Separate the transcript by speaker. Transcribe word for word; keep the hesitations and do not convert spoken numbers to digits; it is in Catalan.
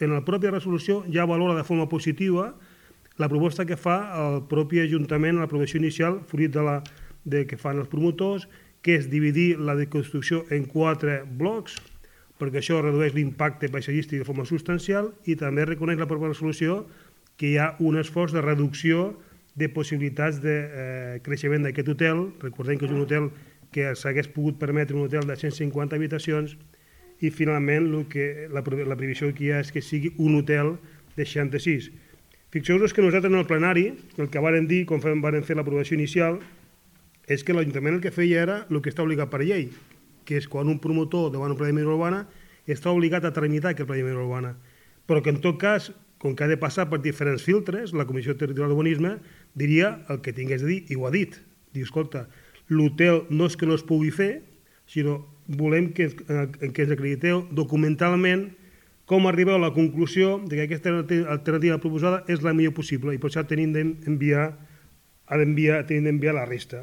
Speaker 1: en la pròpia resolució ja valora de forma positiva la proposta que fa el propi Ajuntament en l'aprovació inicial, fruit de la de que fan els promotors, que és dividir la construcció en quatre blocs, perquè això redueix l'impacte paisatgístic de forma substancial, i també reconeix la pròpia resolució que hi ha un esforç de reducció de possibilitats de eh, creixement d'aquest hotel. Recordem que és un hotel que s'hagués pogut permetre un hotel de cent cinquanta habitacions, i finalment el que, la, la previsió que hi ha és que sigui un hotel de seixanta-sis. Fixeu-vos que nosaltres en el plenari el que vàrem dir, quan vàrem fer l'aprovació inicial, és que l'Ajuntament el que feia era el que està obligat per llei, que és quan un promotor davant un pla de millora urbana està obligat a tramitar aquest pla de millora urbana, però que en tot cas, com que ha de passar per diferents filtres, la Comissió Territorial d'Urbanisme diria el que tingués de dir, i ho ha dit. Diu, escolta, l'hotel no és que no es pugui fer, sinó volem que, que ens acrediteu documentalment com arribeu a la conclusió de que aquesta alternativa proposada és la millor possible, i per això tenim d'enviar ha d'enviar la resta.